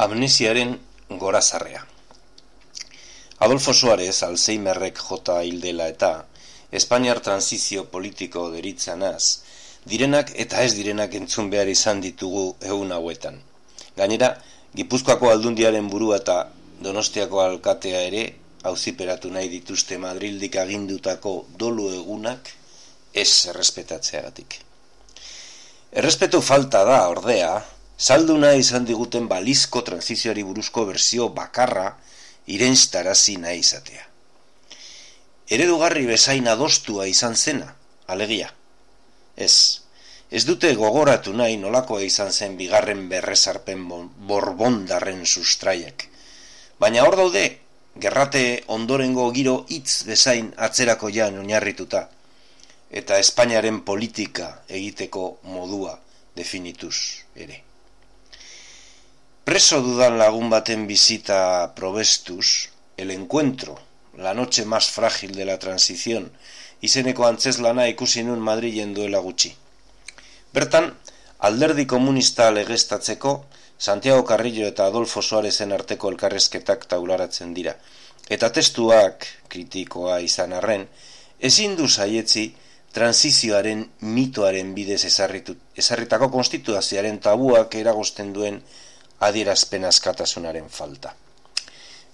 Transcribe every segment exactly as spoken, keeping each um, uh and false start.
Amnesiaren gorazarrea. Adolfo Suárez Alzheimerrek jota hil dela eta Espainiar transizio politiko deritzanaz, direnak eta ez direnak entzun behar izan ditugu egun hauetan. Gainera, Gipuzkoako aldundiaren burua eta Donostiako alkatea ere auziperatu nahi dituzte Madrildik agindutako dolu egunak ez errespetatzeagatik. Errespetu falta da, ordea, salduna izan diguten balizko transizioari buruzko berzio bakarra irenstarazi nahi izatea. Eredugarri bezain adostua izan zena, alegia. Ez, ez dute gogoratu nahi nolakoa izan zen bigarren berrezarpen borbondarren sustraiak. Baina hor daude, gerrate ondorengo giro hitz bezain atzerako jan oinarrituta, eta Espainiaren politika egiteko modua definituz ere. Preso dudan lagun baten bizita probestuz, el encuentro, la noche más frágil de la transición, izeneko antzeslana ikusi nun Madrilen duela gutxi. Bertan, alderdi komunista legeztatzeko, Santiago Carrillo eta Adolfo Suárezen arteko elkarrezketak taularatzen dira, eta testuak, kritikoa izan arren, ezin du saietzi transizioaren mitoaren bidez ezarritu, ezarritako konstituzioaren tabuak eragozten duen adierazpen askatasunaren falta.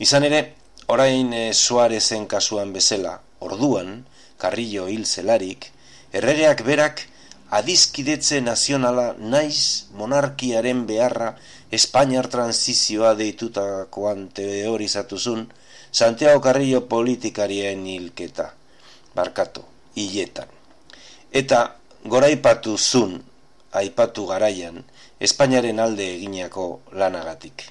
Izan ere, orain e, Suárezen kasuan bezala, orduan, Carrillo hil zelarik, erregeak berak adizkidetze nazionala naiz monarkiaren beharra Espainiar transizioa deitutakoan teorizatuzun Santiago Carrillo politikarien hilketa, barkatu, hiletan. Eta goraipatu zun, aipatu garaian, Espainiaren alde eginako lanagatik.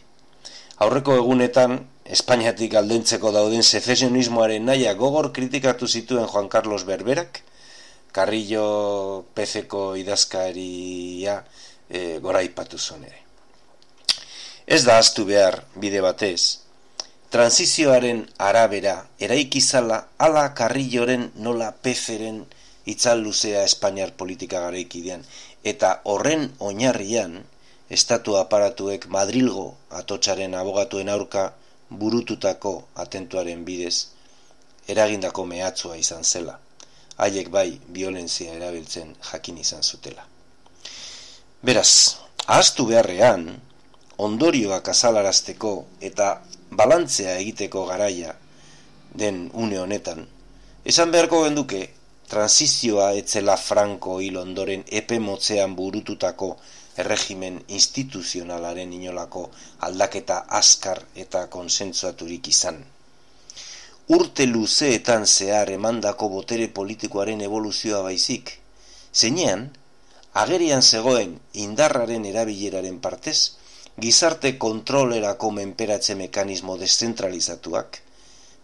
Aurreko egunetan, Espainiatik aldentzeko dauden secesionismoaren naia gogor kritikatu zituen Juan Carlos Berberak, Carrillo P C-ko idazkaria e, goraipatu zuen ere. Ez da ahaztu behar bide batez, transizioaren arabera eraikizala ala Carrilloren nola P C-ren itzal luzea Espainiar politika garaikidean, eta horren oinarrian, estatu aparatuek Madrilgo atotsaren abogatuen aurka burututako atentuaren bidez, eragindako mehatzua izan zela, haiek bai biolentzia erabiltzen jakin izan zutela. Beraz, ahaztu beharrean, ondorioak azalarazteko eta balantzea egiteko garaia den une honetan, esan beharko genduke, transizioa etzela Franco hil ondoren epe motzean burututako erregimen instituzionalaren inolako aldaketa azkar eta konsensuaturik izan. Urte luzeetan zehar emandako botere politikoaren evoluzioa baizik, zeinean, agerian zegoen indarraren erabileraren partez, gizarte kontrolerako menperatze mekanismo deszentralizatuak,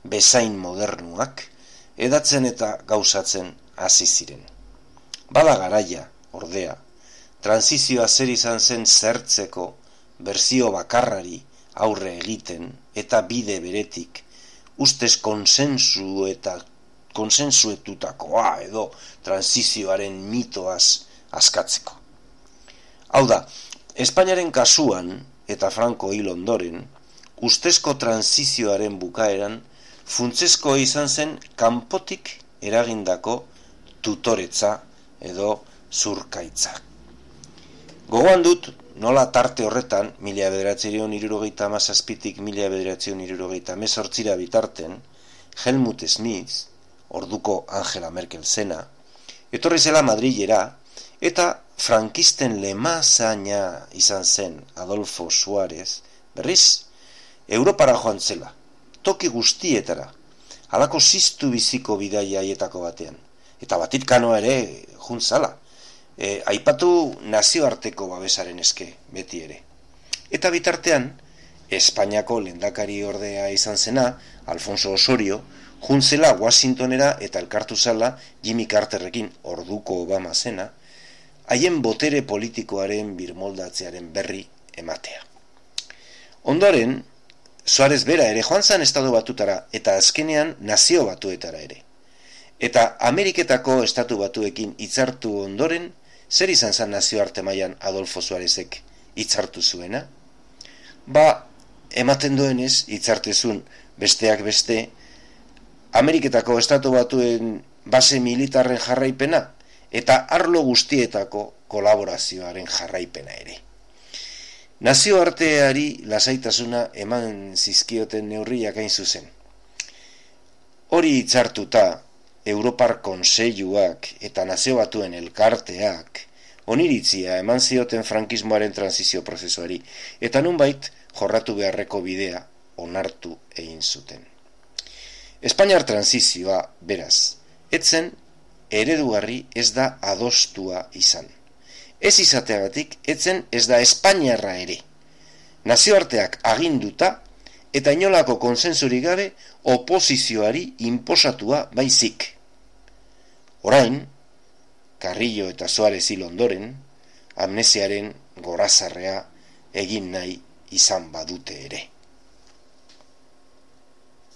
bezain modernuak, edatzen eta gauzatzen hasi ziren. Bada garaia, ordea, transizioa zer izan zen zertzeko, berzio bakarrari aurre egiten eta bide beretik, ustez konsensu eta konsensuetutakoa edo transizioaren mitoaz askatzeko. Hau da, Espainiaren kasuan eta Franco hil ondoren, ustezko transizioaren bukaeran, funtsezko izan zen kanpotik eragindako tutoretza edo zurkaitza. Gogoan dut, nola tarte horretan, mila bederatziehun hirurogeita hamazazpitik mila bederatziehun hirurogeita hemezortzira bitarten, Helmut Schmidt, orduko Angela Merkel zena, etorri zela Madrilera, eta frankisten lemazaina izan zen Adolfo Suárez, berriz, Europara joan zela, toki guztietara, halako ziztu biziko bidaia haietako batean. Eta Vatikanora ere juntzala, e, aipatu nazioarteko babesaren eske, beti ere. Eta bitartean, Espainiako lehendakari ordea izan zena, Alfonso Osorio, juntzela Washingtonera eta elkartu zala Jimmy Carterrekin, orduko Obama zena, haien botere politikoaren birmoldatzearen berri ematea. Ondoren, Suárez bera ere joan zan estatu batutara eta azkenean nazio batuetara ere. Eta Ameriketako estatu batuekin hitzartu ondoren, zer izan zan nazioarte mailan Adolfo Suárezek hitzartu zuena? ba, ematen duenez, hitzartezun besteak beste, Ameriketako Estatu Batuen base militarren jarraipena eta arlo guztietako kolaborazioaren jarraipena ere. Nazioarteari lasaitasuna eman zizkioten neurriak hain zuzen. Hori hitzartuta, Europar Kontseiluak eta Nazio Batuen elkarteak oniritzia eman zioten frankismoaren transizio prozesuari, eta nunbait jorratu beharreko bidea onartu egin zuten. Espainiar transizioa, beraz, etzen eredugarri ez da adostua izan. Ez izateagatik, etzen ez da Espainiarra ere. Nazioarteak aginduta eta inolako konsensurik gabe oposizioari inposatua baizik. Orain, Carrillo eta Suarez hil ondoren, amnesiaren gorazarrea egin nahi izan badute ere.